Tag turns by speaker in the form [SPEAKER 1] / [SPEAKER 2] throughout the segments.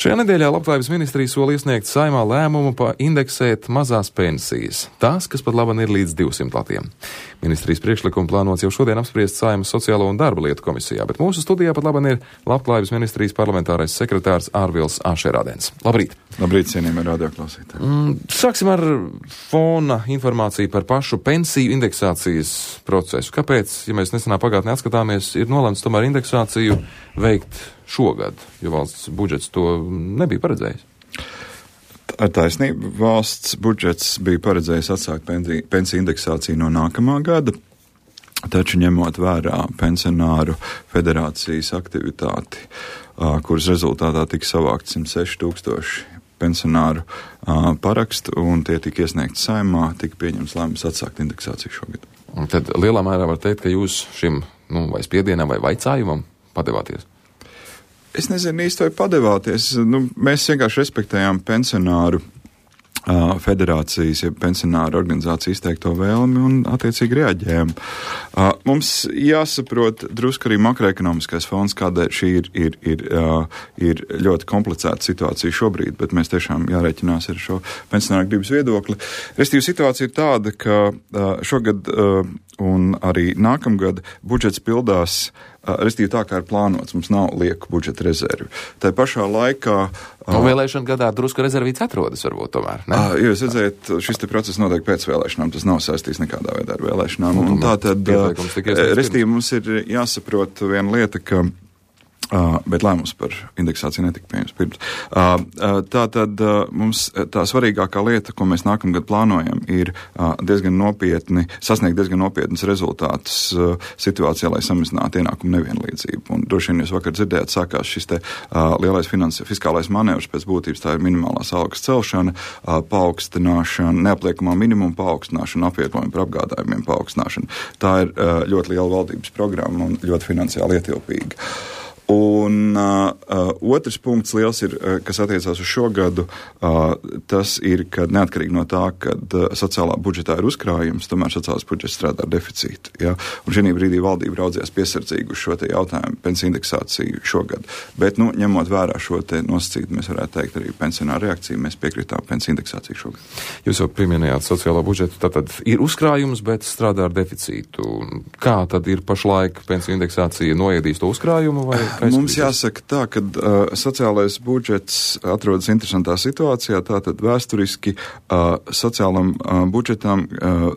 [SPEAKER 1] Šajā nedēļā Labklājības ministrija sola iesniegt Saeimā lēmumu indeksēt mazās pensijas, tās, kas pat labam ir līdz 200 latiem. Ministrijas priekšlikumu plānots jau šodien apspriest Saeimas Sociālo un darba lietu komisijā, bet mūsu studijā pat labam ir Labklājības ministrijas parlamentārais sekretārs Ārvils Ašerādens. Labrīt!
[SPEAKER 2] Labrīt, cienījamie radioklausītāji!
[SPEAKER 1] Sāksim ar fona informāciju par pašu pensiju indeksācijas procesu. Kāpēc, ja mēs nesenā pagātnē atskatāmies, ir nolemts tomēr indeksāciju veikt šogad, jo valsts budžets to nebija paredzējis?
[SPEAKER 2] Ar taisnību valsts budžets bija paredzējis atsākt pensiju indeksāciju no nākamā gada, taču ņemot vērā pensionāru federācijas aktivitāti, kuras rezultātā tika savākt 106 000 pensionāru parakstu, un tie tika iesniegti Saeimā, tika pieņems lēmums atsākt indeksāciju šogad.
[SPEAKER 1] Un tad lielā mērā var teikt, ka jūs šim vai spiedienam vai vaicājumam padevāties?
[SPEAKER 2] Es nezinu īsti, vai padevāties. Mēs vienkārši respektējām pensionāru federācijas, ja pensionāru organizāciju izteikto vēlmi un attiecīgi reaģējam. Mums jāsaprot drusku arī makroekonomiskais fons, kādēļ šī ir ļoti komplicēta situācija šobrīd, bet mēs tiešām jārēķinās ar šo pensionāru gribas viedokli. Restīvi situācija ir tāda, ka šogad un arī nākamgad budžets pildās restīvi tā, kā ir plānots, mums nav lieku budžeta rezervi. Tā pašā laikā...
[SPEAKER 1] vēlēšana gadā drusku rezervīts atrodas varbūt tomēr, ne?
[SPEAKER 2] Jūs redzēt, šis te process notiek pēc vēlēšanām, tas nav saistīts nekādā veidā ar vēlēšanām. Un tātad, restīvi mums ir jāsaprot viena lieta, ka bet lēmums par indeksāciju netika pieņems pirms. Tātad mums tā svarīgākā lieta, ko mēs nākamgad plānojam, ir sasniegt diezgan nopietnas rezultātus situācijā, lai samazinātu ienākumu nevienlīdzību. Un droši vien jūs vakar dzirdējāt, sākās šis te lielais fiskālais manevrs, pēc būtības tā ir minimālās algas celšana, paaugstināšana, neapliekamā minimuma paaugstināšana, apvietojuma par apgādājumiem paaugstināšana. Tā ir ļoti liela valdības programma un ļoti finansiāli ietilpīga. Un otrs punkts liels ir, kas attiecās uz šo gadu, tas ir, ka neatkarīgi no tā, kad sociālā budžetā ir uzkrājums, tomēr sociālās budžets strādā ar deficītu. Ja? Un šī brīdī valdība raudzījās piesardzīgi uz šo te jautājumu pensiju indeksāciju šogad. Bet, ņemot vērā šo te nosacītu, mēs varētu teikt arī pensionāru reakciju, mēs piekritām pensiju indeksāciju šogad.
[SPEAKER 1] Jūs jau pieminējāt sociālo budžetu, tātad ir uzkrājums, bet strādā ar deficītu. Kā tad ir pašlaik pensiju indeksācija noēdīs to uzkrājumu vai?
[SPEAKER 2] Mums jāsaka tā, ka sociālais budžets atrodas interesantā situācijā, tātad vēsturiski sociālam budžetam,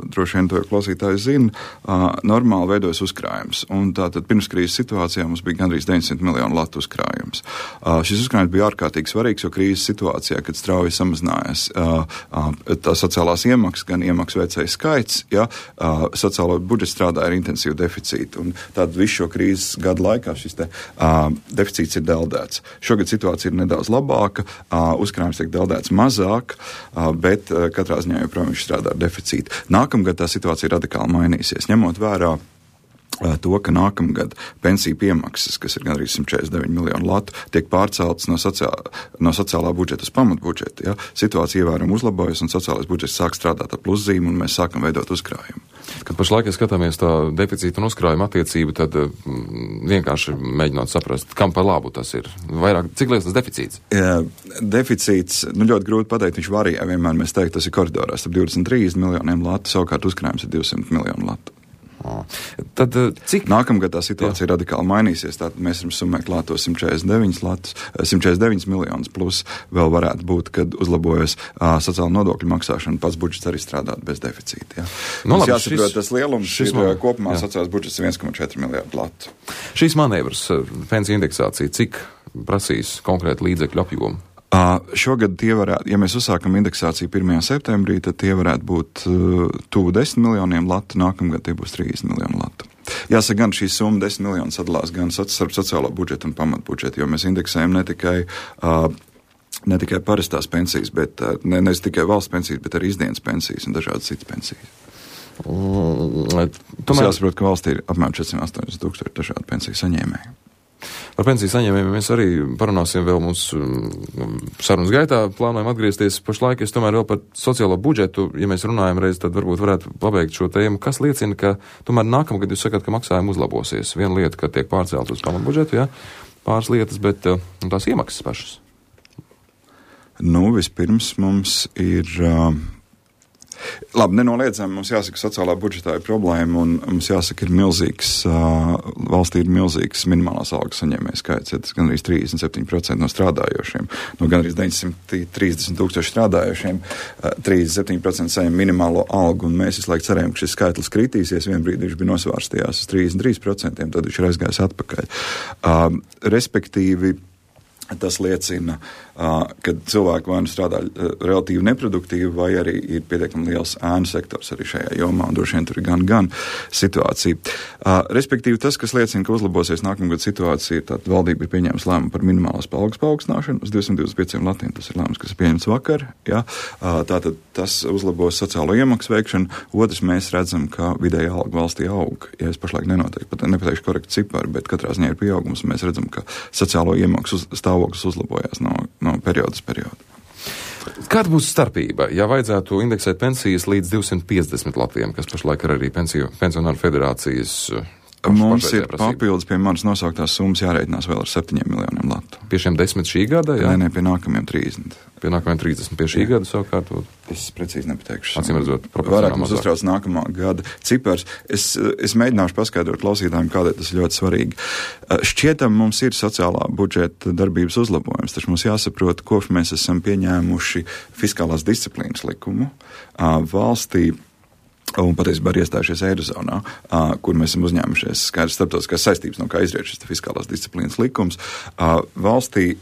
[SPEAKER 2] droši vien to klausītāji zina, normāli veidojas uzkrājums. Un tātad pirms krīzes situācijā mums bija gandrīz 900 miljonu latu uzkrājums. Šis uzkrājums bija ārkārtīgi svarīgs, jo krīzes situācijā, kad strauji samazinājās tā sociālās iemaksas, gan iemaksu veicēju skaits, sociālo budžets strādāja ar intensīvu deficītu. Un tātad visu šo krīzes gadu laikā šis te deficīts ir deldēts. Šogad situācija ir nedaudz labāka, uzkrājums tiek deldēts mazāk, bet katrā ziņā joprojām viņš strādā ar deficītu. Nākamgad tā situācija radikāli mainīsies, ņemot vērā to, ka nākamgad pensiju piemaksas, kas ir gandrīz 149 miljonu latu, tiek pārceltas no sociālā budžeta uz pamatbudžetu. Ja? Situācija ievērojami uzlabojas un sociālais budžets sāk strādāt ar pluszīmu un mēs sākam veidot uzkrājumu.
[SPEAKER 1] Kad pašlaik, ja skatāmies tā deficīta un uzkrājuma attiecību, tad vienkārši mēģinot saprast, kam par labu tas ir. Vairāk, cik liels tas deficīts?
[SPEAKER 2] Deficīts, ļoti grūti pateikt, viņš varijā vienmēr, mēs teikt, tas ir koridorā starp 23 miljoniem latu, savukārt uzkrājums ir 200 miljonu latu.
[SPEAKER 1] Tad, cik?
[SPEAKER 2] Nākamgad tā situācija radikāli mainīsies, tātad mēs varam summēt klāto 149 miljonus, plus vēl varētu būt, kad uzlabojas sociāla nodokļu maksāšana, pats budžets arī strādāt bez deficīta. Ja. Mums jāsaprot, tas lielums ir kopumā sociālās budžets 1,4 miljardu latu.
[SPEAKER 1] Šīs manevras, pensiju indeksācija, cik prasīs konkrēti līdzekļu apjomu?
[SPEAKER 2] Šogad tie varētu, ja mēs uzsākam indeksāciju 1. septembrī, tad tie varētu būt tuvu 10 miljoniem latu, nākamgad tie būs 30 miljonu latu. Jāsaka, gan šī summa 10 miljonu sadalās gan starp sociālo budžetu un pamatbudžetu, jo mēs indeksējam ne tikai parastās pensijas, bet ne tikai valsts pensijas, bet arī izdienas pensijas un dažādas citas pensijas. Tas jāsaprot, ka valstī ir apmēram 480 000 dažādu pensiju saņēmēju.
[SPEAKER 1] Par pensiju saņēmējiem mēs arī parunāsim vēl mūsu sarunas gaitā, plānojam atgriezties pašlaik, es tomēr vēl par sociālo budžetu, ja mēs runājam reiz, tad varbūt varētu pabeigt šo tēmu, kas liecina, ka tomēr nākamgad jūs sakat, ka maksājumi uzlabosies. Viena lieta, ka tiek pārcelt uz pamatbudžetu, ja, pāris lietas, bet tās iemaksas pašas.
[SPEAKER 2] Vispirms mums ir... Labi, nenoliedzami mums jāsaka, sociālā budžetā ir problēma un mums jāsaka, valstī ir milzīgs minimālās algas saņēmēju skaits, tas gan arī 37% no strādājošiem, no gan arī 930 tūkstoši strādājošiem, 37% saņem minimālo algu un mēs visu laiku cerējam, ka šis skaitlis kritīsies, vien brīdī viņš bija nosvārstījās uz 33%, tad viņš ir aizgājis atpakaļ. Respektīvi, tas liecina, ka cilvēki vai nu strādā relatīvi neproduktīvi, vai arī ir pietiekami liels ēnu sektors arī šajā jomā, un droši vien tur ir gan situācija. Respektīvi, tas, kas liecina, ka uzlabosies nākamgad situācija, tad valdība ir pieņēmusi lēmumu par minimālās algas paaugstināšanu uz 225 latiem. Tas ir lēmums, kas ir pieņemts vakar. Ja? Tātad tas uzlabos sociālo iemaksu veikšanu. Otrs, mēs redzam, ka vidēja alga valstī aug. Ja es pašlaik nepateikšu korektu ciparu, bet katrā ziņā ir pieaugums, un mēs redzam, ka sociālo iemaksu stāvoklis uzlabojās no perioda uz periodu.
[SPEAKER 1] Kāda būs starpība, ja vajadzētu indeksēt pensijas līdz 250 latiem, kas pašlaik ir arī pensionāru federācijas?
[SPEAKER 2] Mums ir papildus pie manas nosauktās summas jārēķinās vēl ar 7 miljoniem latu.
[SPEAKER 1] Pie šiem 10 šī gada? Jā?
[SPEAKER 2] Nē, pie nākamajiem 30.
[SPEAKER 1] Pie nākamajiem 30. Pie šī gada savukārt?
[SPEAKER 2] Es precīzi nepateikšu.
[SPEAKER 1] Acīm redzot,
[SPEAKER 2] vairāk mums uztrauc nākamā gada cipars. Es mēģināšu paskaidrot klausītājiem, kādēļ tas ir ļoti svarīgi. Šķietam mums ir sociālā budžeta darbības uzlabojums, taču mums jāsaprot, kopš mēs esam pieņēmuši fiskālās disciplīnas likumu valstī, un patiesībā arī iestājušies Eirozonā, kur mēs esam uzņēmušies skaidrs starptautiskās saistības, no kā izriet šis fiskālās disciplīnas likums, valstī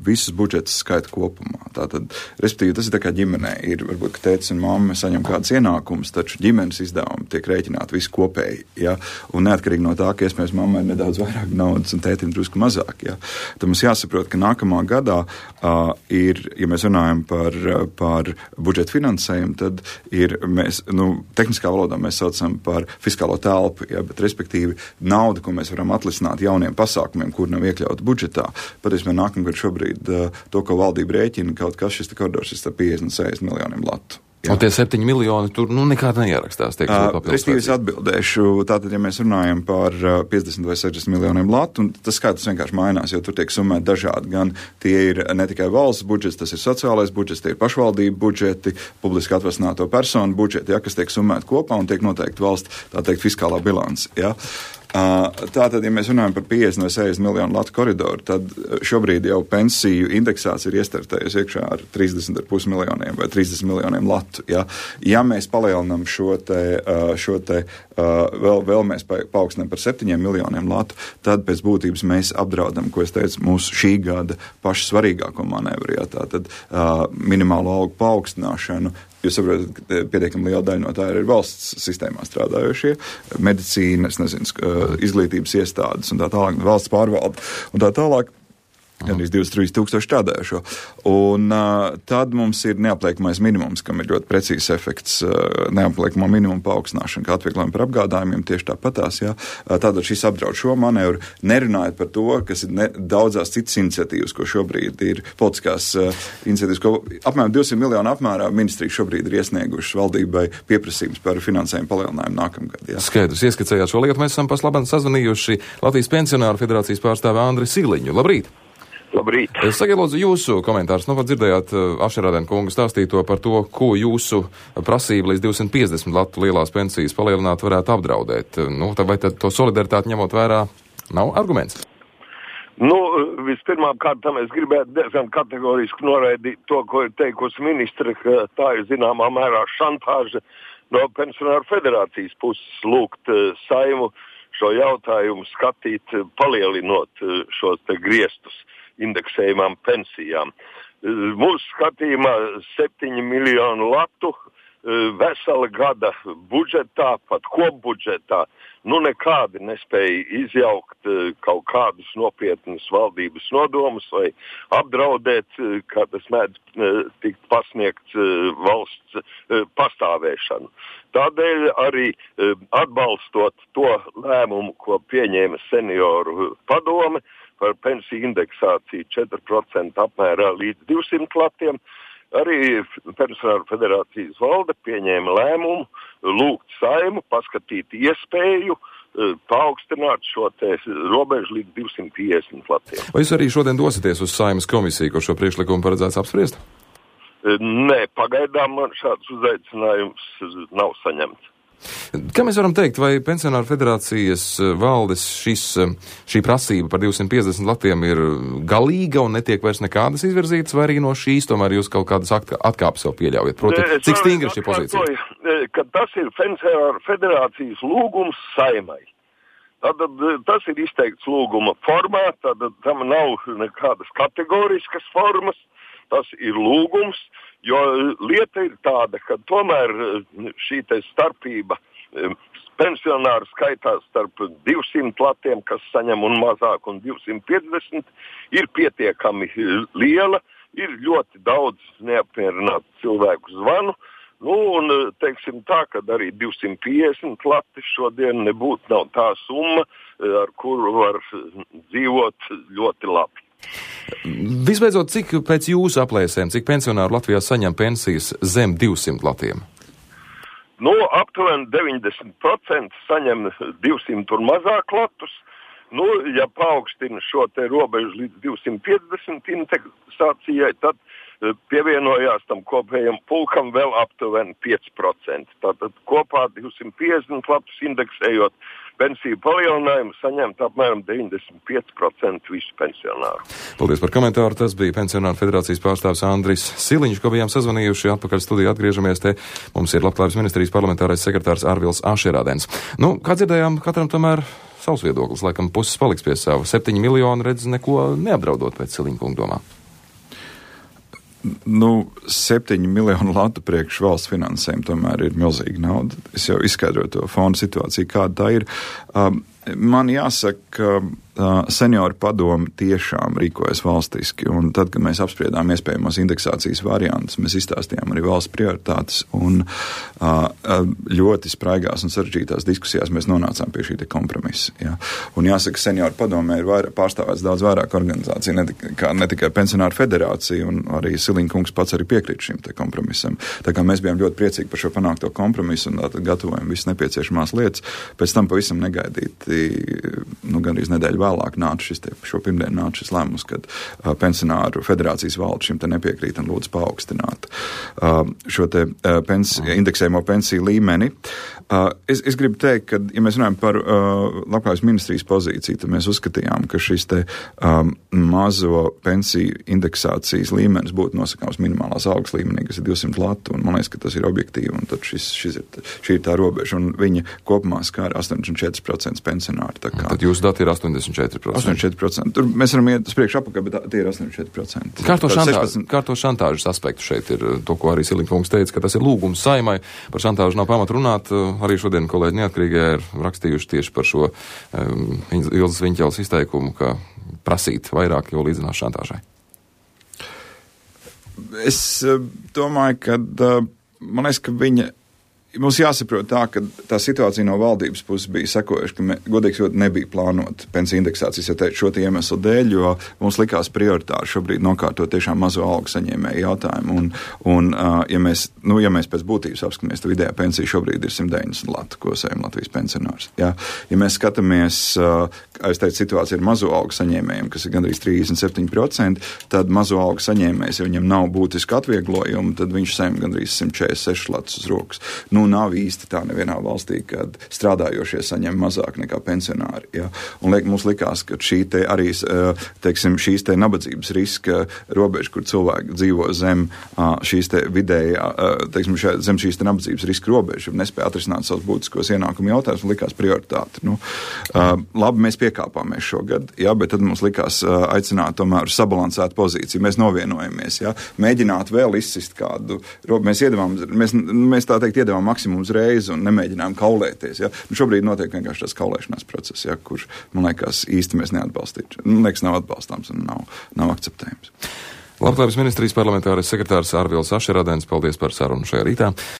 [SPEAKER 2] visus budžetus skaita kopumā. Tātad, respektīvi, tas ir tā kā ģimenē. Ir varbūt, ka tētis un mamma saņem kādas ienākumus, taču ģimenes izdevumi tiek rēķināti visi kopēji. Ja? Un neatkarīgi no tā, ka iespējams mammai ir nedaudz vairāk naudas un tētim drusku mazāk. Ja? Tad mums jāsaprot, ka nākamā gadā ir, ja mēs runājam par budžeta finansējumu, tad ir mēs, tehniskā valodā mēs saucam par fiskālo telpu, ja, bet respektīvi nauda, ko mēs varam atlisināt jauniem pasākumiem, kur nav iekļauti budžetā. Patiesībā nākamgad šobrīd to, ko valdība rēķina, kaut kas šis koridors ir 50 un 60 miljoniem latu. Jā.
[SPEAKER 1] Un tie 7 miljoni tur nekāda neierakstās.
[SPEAKER 2] Respektīvi es atbildēšu, tātad, ja mēs runājam par 50 vai 60 miljoniem latu, un tas skaitlis vienkārši mainās, jo tur tiek summēti dažādi, gan tie ir ne tikai valsts budžets, tas ir sociālais budžets, tie ir pašvaldību budžeti, publiski atvasināto personu budžeti, ja, kas tiek summēti kopā un tiek noteikti valsts, tā teikt, fiskālā bilance. Ja. Tātad, ja mēs runājam par 50 vai 60 miljonu latu koridoru, tad šobrīd jau pensiju indeksācija ir iestartējusi iekšā ar 30,5 miljoniem vai 30 miljoniem latu. Ja, ja mēs palielinam šo te vēl mēs paaugstinām par 7 miljoniem latu, tad pēc būtības mēs apdraudam, ko es teicu, mūsu šī gada pašu svarīgāko manevru. Ja, tātad minimālo algu paaugstināšanu. Jūs saprotat, ka pietiekami liela daļa no tā ir valsts sistēmā strādājošie, medicīna, izglītības iestādes un tā tālāk, valsts pārvalde un tā tālāk. Gan arī 23 tūkstoši strādājošo. Un tad mums ir neapliekamais minimums, kam ir ļoti precīzs efekts, neapliekamā minimuma paaugstināšana, kā atvieglojumi par apgādājumiem, tieši tāpatās. Ja? Tātad šis apdraud šo manevru, nerunājot par to, kas ir daudzās citas iniciatīvas, ko šobrīd ir politiskās iniciatīvas, ko apmēram 200 miljonu apmērā ministrija šobrīd ir iesniegušas valdībai pieprasījums par finansējumu palielinājumu nākamgad. Ja?
[SPEAKER 1] Skaidrs, ieskicējāt šo lietu, mēs esam paslabam sazvanījuši Latvijas pensionāru federācijas pārstāvi Andri Siliņu. Labrīt!
[SPEAKER 3] Labrīt.
[SPEAKER 1] Es sakiet, lūdzu, jūsu komentārus. Dzirdējāt Ašerādēna kungu stāstīto par to, ko jūsu prasība līdz 250 latu lielās pensijas palielināt varētu apdraudēt. Vai tad to solidaritāti ņemot vērā nav arguments?
[SPEAKER 3] Vispirmām kārtām es gribētu diezgan kategoriski noraidīt to, ko ir teikusi ministre, ka tā ir zināmā mērā šantāža no pensionāru federācijas puses lūgt Saimu šo jautājumu skatīt, palielinot šos te griestus indeksējumām pensijām. Mūsu skatījumā 7 miljonu latu vesela gada budžetā, pat kopbudžetā, nekādi nespēja izjaukt kaut kādus nopietnus valdības nodomus vai apdraudēt, kā tas mēdz tikt pasniegts valsts pastāvēšanu. Tādēļ arī atbalstot to lēmumu, ko pieņēma senioru padome, par pensiju indeksāciju 4% apmērā līdz 200 latiem, arī pensionāru federācijas valde pieņēma lēmumu lūgt Saimu paskatīt iespēju paaugstināt šo te robežu līdz 250 latiem.
[SPEAKER 1] Vai jūs arī šodien dosieties uz Saimas komisiju, kur šo priekšlikumu paredzēts apspriest?
[SPEAKER 3] Nē, pagaidām man šāds uzaicinājums nav saņemts.
[SPEAKER 1] Kā mēs varam teikt, vai Pensionāru federācijas valdes šī prasība par 250 latiem ir galīga un netiek vairs nekādas izvirzītas, vai arī no šīs tomēr jūs kaut kādas atkāpes jau pieļaujat? Proti, cik stingra šī pozīcija?
[SPEAKER 3] Ka tas ir Pensionāru federācijas lūgums Saeimai. Tātad tas ir izteikts lūguma formā, tātad tam nav nekādas kategoriskas formas, tas ir lūgums, jo lieta ir tāda, ka tomēr šī te starpība pensionāru skaitās starp 200 latiem, kas saņem un mazāk, un 250 ir pietiekami liela, ir ļoti daudz neapmierinātu cilvēku zvanu. Un, teiksim tā, ka arī 250 lati šodien nebūtu nav tā summa, ar kuru var dzīvot ļoti labi.
[SPEAKER 1] Visbeidzot, cik pēc jūsu aplēsēm, cik pensionāru Latvijā saņem pensijas zem 200 latiem?
[SPEAKER 3] Aptuveni 90% saņem 200 un mazāk latus. Ja paaugstina šo te robežu līdz 250 indeksācijai, tad pievienojās tam kopējam pulkam vēl aptuveni 5%. Tātad kopā 250 latus indeksējot pensiju palielinājumu saņemt apmēram 95% visu pensionāru.
[SPEAKER 1] Paldies par komentāru. Tas bija Pensionāru federācijas pārstāvs Andris Siliņš, ko bijām sazvanījuši. Atpakaļ studijā atgriežamies te. Mums ir Labklājības ministrijas parlamentārais sekretārs Arvils Ašerādens. Kā dzirdējām, katram tomēr savs viedoklis. Laikam puses paliks pie sava. 7 miljoni redz neko neapdraudot pēc Siliņa kunga domā.
[SPEAKER 2] 7 miljonu latu priekš valsts finansējumu tomēr ir milzīga nauda. Es jau izskaidroju to fondu situāciju, kāda tā ir. Man jāsaka, senioru padomi tiešām rīkojas valstiski, un tad, kad mēs apspriedām iespējamos indeksācijas variantus, mēs izstāstījām arī valsts prioritātes, un ļoti spraigās un sarežģītās diskusijās mēs nonācām pie šī te kompromisa. Ja. Un jāsaka, senioru padomē ir pārstāvēts daudz vairāk organizāciju, ne tikai Pensionāru federācija, un arī Siliņa kungs pats arī piekrīt šim te kompromisam. Tā kā mēs bijām ļoti priecīgi par šo panākto kompromisu, un tātad gatavojam visas nepieciešamās lietas. Pēc tam pavisam negaidīti, gandrīz nedēļu vēlāk šo pirmdienu nāca šis lēmums, kad Pensionāru federācijas valde šim te nepiekrīt un lūdz paaugstināt šo te indeksējumo pensiju līmeni. Es gribu teikt, ka, ja mēs runājam par Labklājības ministrijas pozīciju, tad mēs uzskatījām, ka šis te mazo pensiju indeksācijas līmenis būtu nosakāms minimālās algas līmenī, kas ir 200 latu, un man liekas, ka tas ir objektīvi, un tad šī ir tā robeža, un viņa kopumā skāra 84% pensionāri.
[SPEAKER 1] Tad jūsu dati ir 84%.
[SPEAKER 2] 84%. Tur mēs varam iet uz priekšu apakaļ, bet tie ir 84%.
[SPEAKER 1] Kā to šantāžas aspektu šeit ir, to, ko arī Siliņa kungs teica, ka tas ir lūgums Saeimai, par šantāžu nav pamat runāt. Arī šodien kolēģi Neatkarīgajā ir rakstījuši tieši par šo Ilzas Viņķeles izteikumu, ka prasīt vairāk jau līdzinās šantāžai.
[SPEAKER 2] Es domāju, ka man liekas, ka mums jāsaprot tā, ka tā situācija no valdības puses bija sekojuša, ka godīgi sakot nebija plānota pensiju indeksācijas šo te iemeslu dēļ, jo mums likās prioritāri šobrīd nokārtot tiešām mazo algu saņēmēju jautājumu. Un ja mēs pēc būtības apskatāmies, tad vidējā pensija šobrīd ir 190 latu, ko saņem Latvijas pensionārs. Ja mēs skatāmies, es teicu, situācija ir mazo algu saņēmējiem, kas ir gandrīz 37%, tad mazo algu saņēmējs, ja viņam nav būtiski atvieglojumi, tad viņš saņem gandrīz 146 latus uz rokas. Nav īsti tā nevienā valstī, kad strādājošie saņem mazāk nekā pensionāri. Ja? Un mums likās, ka šī te arī, teiksim, šīs te nabadzības riska robeža, kur cilvēki dzīvo zem šīs te vidējā, teiksim, zem šīs te nabadzības riska robeža, nespēja atrisināt savus būtiskos ienākumu jautājumus, un likās prioritāti. Labi, mēs piekāpāmies šogad, ja, bet tad mums likās aicināt tomēr sabalansēt pozīciju. Mēs novienojamies, ja, mēģināt vēl izsist kādu, mēs tā teikt iedevām maksimums reizi un nemēģinājām kaulēties. Ja? Šobrīd notiek vienkārši tas kaulēšanās process, ja, kurš, man liekas, īsti mēs neatbalstītu. Man liekas, nav atbalstāms un nav akceptējams.
[SPEAKER 1] Labklājības ministrijas parlamentārais sekretārs Arvils Ašerādens, paldies par sarunu šajā rītā.